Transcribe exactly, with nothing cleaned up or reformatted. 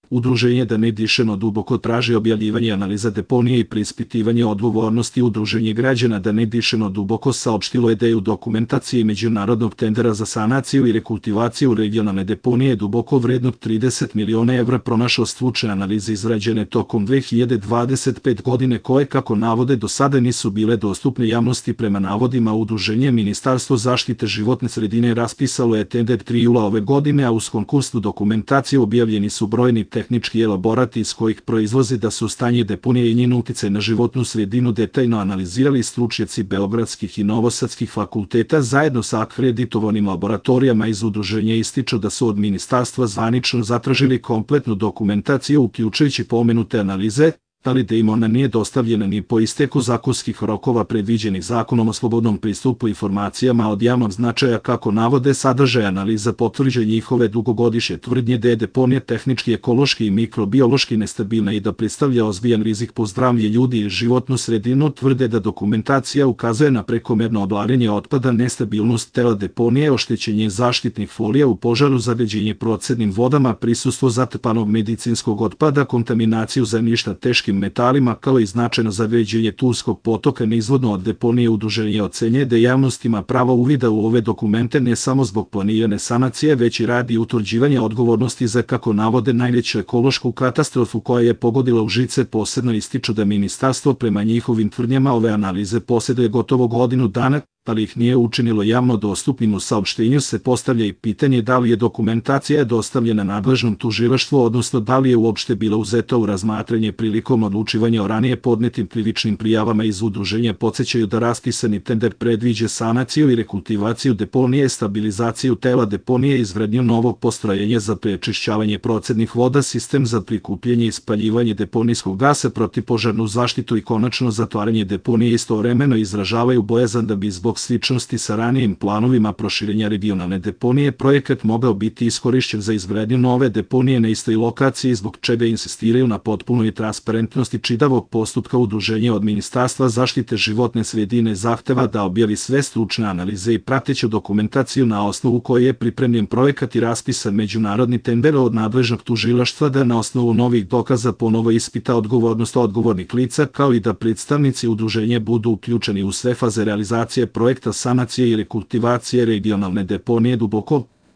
Udruženje Da ne dišemo duboko traži objavljivanje analiza deponije i preispitivanje odgovornosti. Udruženje građana Da ne dišemo duboko saopštilo ideju dokumentacije međunarodnog tendera za sanaciju i rekultivaciju regionalne deponije duboko vrednog trideset miliona evra. Pronašao stručne analize izrađene tokom dve hiljade dvadeset pete. godine koje, kako navode, do sada nisu bile dostupne javnosti. Prema navodima udruženja, Ministarstvo zaštite životne sredine raspisalo je tender tri jula ove godine, a uz konkursnu dokumentaciju objavljeni su brojni tehnički elaborati iz kojih proizlazi da su stanje deponije i njen uticaj na životnu sredinu detaljno analizirali stručnjaci beogradskih i novosadskih fakulteta zajedno sa akreditovanim laboratorijama. Iz udruženja ističu da su od ministarstva zvanično zatražili kompletnu dokumentaciju uključujući pomenute analize, ali da im ona nije dostavljena ni po isteku zakonskih rokova predviđenih Zakonom o slobodnom pristupu informacijama od javnog značaja. Kako navode, sadržaj analiza potvrđuje njihove dugogodišnje tvrdnje da je deponija tehnički, ekološki i mikrobiološki nestabilna i da predstavlja ozbiljan rizik po zdravlje ljudi i životnu sredinu. Tvrde da dokumentacija ukazuje na prekomerno oblarenje otpada, nestabilnost tela deponije, oštećenje zaštitnih folija u požaru, zagađenje procednim vodama, prisustvo zatrpanog medicinskog otpada, kontaminaciju zemljišta teškim metalima, kao i značajno zagađenje Turskog potoka neizvodno od deponije. Udruženje ocenjuje da javnost ima pravo uvida u ove dokumente ne samo zbog planirane sanacije, već i radi utvrđivanja odgovornosti za, kako navode, najveću ekološku katastrofu koja je pogodila Užice. Posebno ističu da ministarstvo prema njihovim tvrdnjama ove analize posjeduje gotovo godinu dana, ali ih nije učinilo javno dostupnim. U saopštenju se postavlja i pitanje da li je dokumentacija dostavljena nadležnom tužilaštvu, odnosno da li je uopšte bila uzeta u razmatranje prilikom odlučivanja o ranije podnetim krivičnim prijavama. Iz udruženja podsećaju da raspisani tender predviđa sanaciju i rekultivaciju deponije, stabilizaciju tela deponije, izgradnju novog postrojenja za prečišćavanje procednih voda, sistem za prikupljanje i spaljivanje deponijskog gasa, protivpožarnu zaštitu i konačno zatvaranje deponije. Istovremeno izražavaju bojazan da bi zbog sličnosti sa ranijim planovima proširenja regionalne deponije projekat mogao biti iskorišćen za izgradnju nove deponije na istoj lokaciji, zbog čega insistiraju na potpunoj transparentnosti čitavog postupka. Udruženje od Ministarstva zaštite životne sredine zahteva da objavi sve stručne analize i prateću dokumentaciju na osnovu koje je pripremljen projekat i raspisan međunarodni tender, od nadležnog tužilaštva da na osnovu novih dokaza ponovo ispita odgovornost odgovornih lica, kao i da predstavnici udruženja budu uključeni u sve faze realizacije projekta sanacije i rekultivacije regionalne deponije duboko